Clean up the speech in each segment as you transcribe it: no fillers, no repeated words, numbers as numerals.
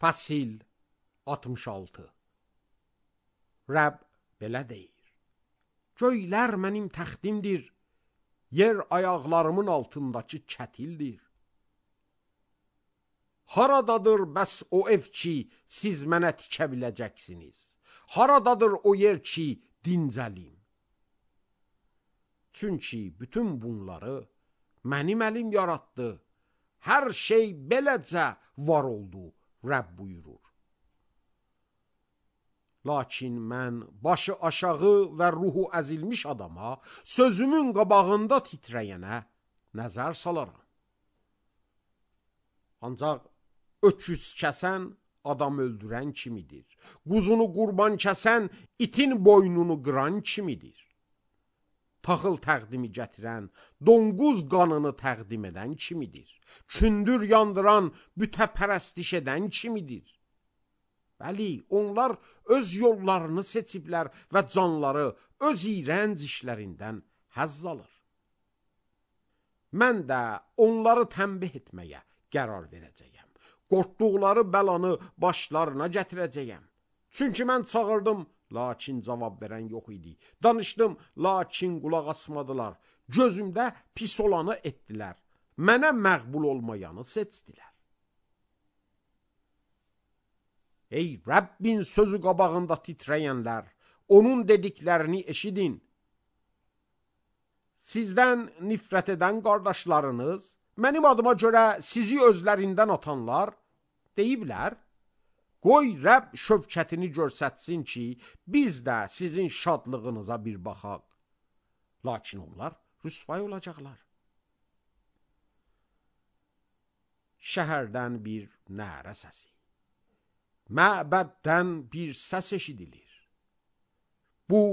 Fəsil 66. Rəbb belə deyir: Göylər mənim təxtimdir, yer ayaqlarımın altındakı kətildir. Haradadır bəs o ev ki, siz mənə tikə biləcəksiniz? Haradadır o yer ki, dincəlim? Çünki bütün bunları mənim əlim yaratdı. Hər şey beləcə var oldu, Rəbb buyurur. Lakin mən başı aşağı və ruhu əzilmiş adama, sözümün qabağında titrəyənə nəzər salaram. Ancaq öküz kəsən adam öldürən kimidir. Quzunu qurban kəsən itin boynunu qıran kimidir. Taxıl təqdimi gətirən, donquz qanını təqdim edən kimidir. Kündür yandıran, bütəpərəstiş edən kimidir. Bəli, onlar öz yollarını seçiblər və canları öz iyrənc işlərindən həzz alır. Mən də onları tənbih etməyə qərar verəcəyəm. Qorxduqları bəlanı başlarına gətirəcəyəm. Çünki mən çağırdım, lakin cavab verən yox idi. Danışdım, lakin qulaq asmadılar. Gözümdə pis olanı etdilər. Mənə məqbul olmayanı seçdilər. Ey Rəbbin sözü qabağında titrəyənlər, onun dediklərini eşidin. Sizdən nifrət edən qardaşlarınız, mənim adıma görə sizi özlərindən atanlar deyiblər, qoy Rəbb şövkətini görsətsin ki, biz də sizin şadlığınıza bir baxaq. Lakin onlar rüsvay olacaqlar. Şəhərdən bir nərə səsi, məbəddən bir səs eşidilir. Bu,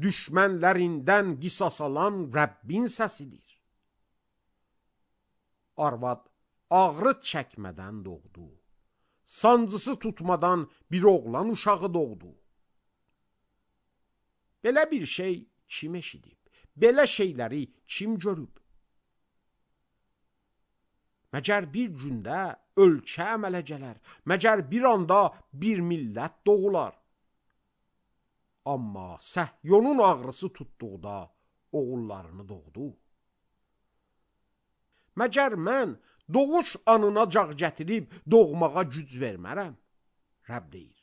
düşmənlərindən qisas alan Rəbbin səsidir. Arvad ağrı çəkmədən doğdu. Sancısı tutmadan bir oğlan uşağı doğdu. Belə bir şey kim eşidib? Belə şeyləri kim görüb? Məgər bir gündə ölkə əmələ gələr, məgər bir anda bir millət doğular. Amma Səhyonun ağrısı tutduqda oğullarını doğdu. Məgər mən doğuş anına cağ gətirib doğmağa güc vermərəm? Rəbb deyir.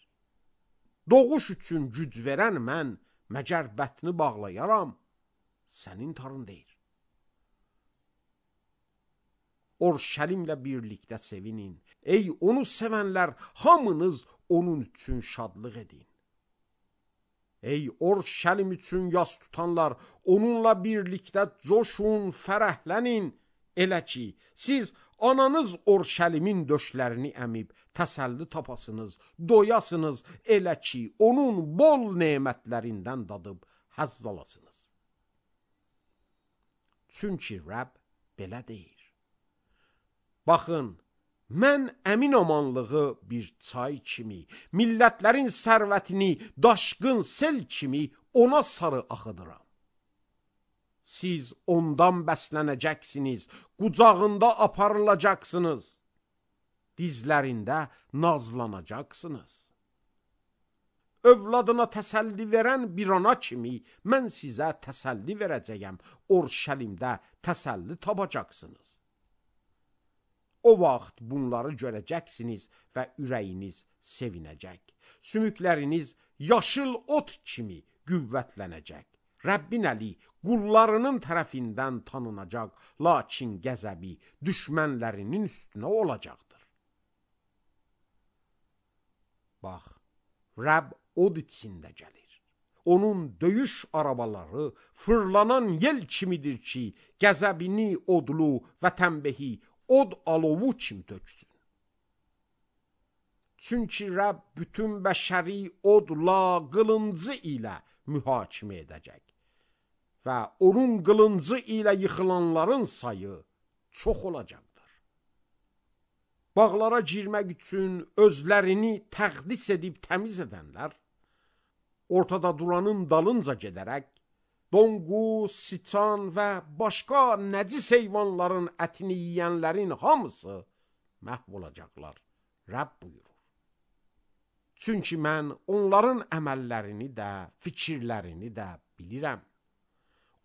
Doğuş üçün güc verən mən, məgər bətni bağlayaram? Sənin tarın deyir. Orşəlimlə birlikdə sevinin. Ey onu sevənlər, hamınız onun üçün şadlıq edin. Ey Orşəlim üçün yas tutanlar, onunla birlikdə coşun, fərəhlənin. Elə ki, siz ananız Orşəlimin döşlərini əmib, təsəlli tapasınız, doyasınız, elə ki, onun bol nemətlərindən dadıb həzz alasınız. Çünki Rəbb belə deyir. Baxın, mən əmin amanlığı bir çay kimi, millətlərin sərvətini daşqın sel kimi ona sarı axıdıram. Siz ondan bəslənəcəksiniz, qucağında aparılacaqsınız, dizlərində nazlanacaqsınız. Övladına təsəlli verən bir ana kimi mən sizə təsəlli verəcəyəm, Orşəlimdə təsəlli tapacaqsınız. O vaxt bunları görəcəksiniz və ürəyiniz sevinəcək. Sümükləriniz yaşıl ot kimi qüvvətlənəcək. Rəbbin əli qullarının tərəfindən tanınacaq, lakin qəzəbi düşmənlərinin üstünə olacaqdır. Bax, Rəbb od içində gəlir. Onun döyüş arabaları fırlanan yel kimidir ki, qəzəbini odlu və tənbəhi od alovu kimi töksün. Çünki Rəbb bütün bəşəri odla, qılıncı ilə mühakimə edəcək və onun qılıncı ilə yıxılanların sayı çox olacaqdır. Bağlara girmək üçün özlərini təqdis edib təmiz edənlər, ortada duranın dalınca gedərək, donquz, siçan və başqa nəcis heyvanların ətini yiyənlərin hamısı məhv olacaqlar. Rəbb buyurur. Çünki mən onların əməllərini də, fikirlərini də bilirəm.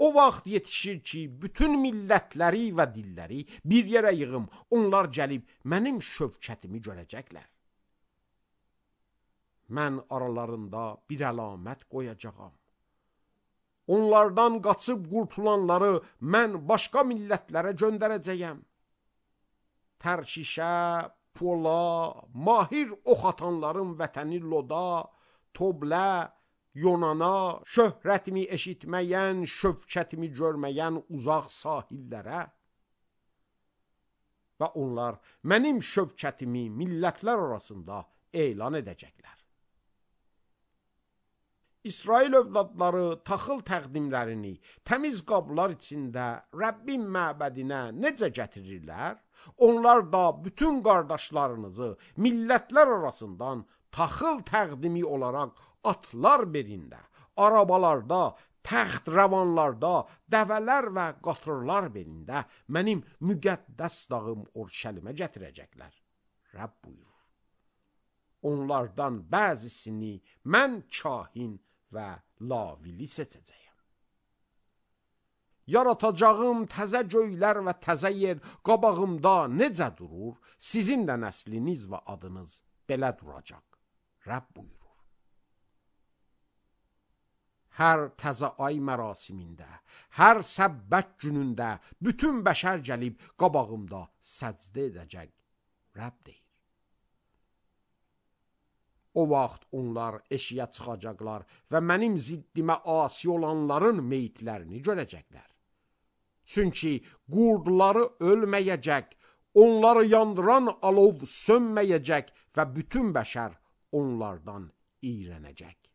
O vaxt yetişir ki, bütün millətləri və dilləri bir yerə yığım, onlar gəlib mənim şövkətimi görəcəklər. Mən aralarında bir əlamət qoyacağam. Onlardan qaçıb qurtulanları mən başqa millətlərə göndərəcəyəm. Tərşişə, Pola, mahir ox atanların vətəni Loda, Toblə, Yonana, şöhrətimi eşitməyən, şövkətimi görməyən uzaq sahillərə və onlar mənim şövkətimi millətlər arasında elan edəcəklər. İsrail övladları taxıl təqdimlərini təmiz qablar içində Rəbbin məbədinə necə gətirirlər, onlar da bütün qardaşlarınızı millətlər arasından taxıl təqdimi olaraq atlar belində, arabalarda, təxt rəvanlarda, dəvələr və qatırlar belində mənim müqəddəs dağım Orşəlimə gətirəcəklər. Rəbb buyurur. Onlardan bəzisini mən kahin və lavili seçəcəyəm. Yaratacağım təzə göylər və təzə yer qabağımda necə durur, sizin də nəsliniz və adınız belə duracaq. Rəbb buyurur. Hər təzə ay mərasimində, hər səbbət günündə bütün bəşər gəlib qabağımda səcdə edəcək. Rəbb deyir. O vaxt onlar eşiyə çıxacaqlar və mənim ziddimə asi olanların meyitlərini görəcəklər. Çünki qurdları ölməyəcək, onları yandıran alov sönməyəcək və bütün bəşər onlardan iyrənəcək.